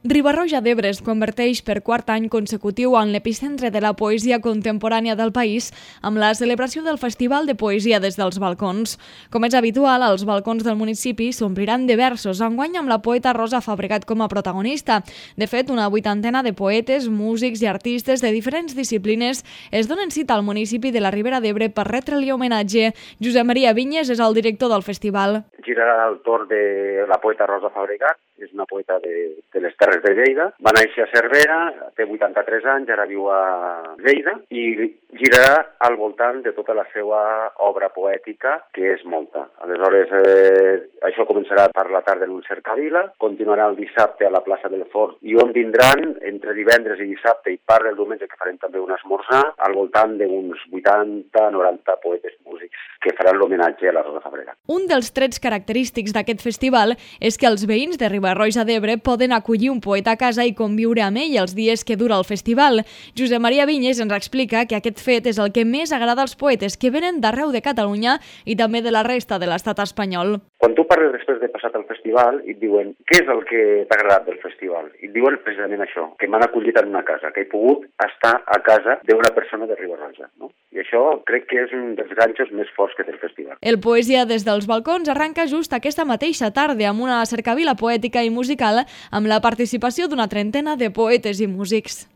Riba-roja d'Ebre es converteix per quart any consecutiu en l'epicentre de la poesia contemporània del país amb la celebració del Festival de Poesia des dels balcons. Com és habitual, els balcons del municipi s'ompliran de versos, enguany amb la poeta Rosa Fabregat com a protagonista. De fet, una 80ena de poetes, músics i artistes de diferents disciplines es donen cita al municipi de la Ribera d'Ebre per retre-li homenatge. Josep Maria Vinyes és el director del festival. Girarà el torn de la poeta Rosa Fabregat, és una poeta de les Terres de Lleida. Va néixer a Cervera, té 83 anys, ara viu a Lleida, i girarà al voltant de tota la seva obra poètica, que és molta. Aleshores, això començarà per la tarda en un cercavila, continuarà el dissabte a la plaça del Fort, i on vindran, entre divendres i dissabte, i part del diumenge, que farem també un esmorzar, al voltant d'uns 80-90 poetes músics que faran l'homenatge a la Rosa Fabregat. Un dels trets característics d'aquest festival és que els veïns de Riba-roja d'Ebre poden acollir un poeta a casa i conviure amb ell els dies que dura el festival. Josep Maria Vinyes ens explica que aquest fet és el que més agrada als poetes que venen d'arreu de Catalunya i també de la resta de l'estat espanyol. Quan tu parles després de passat el festival i et diuen què és el que t'ha agradat del festival, i et diuen precisament això, que m'han acollit en una casa, que he pogut estar a casa d'una persona de Riba-roja, no? I això crec que és un dels ganxos més forts que té el festival. El Poesia des dels balcons arranca just aquesta mateixa tarda amb una cercavila poètica i musical amb la participació d'una trentena de poetes i músics.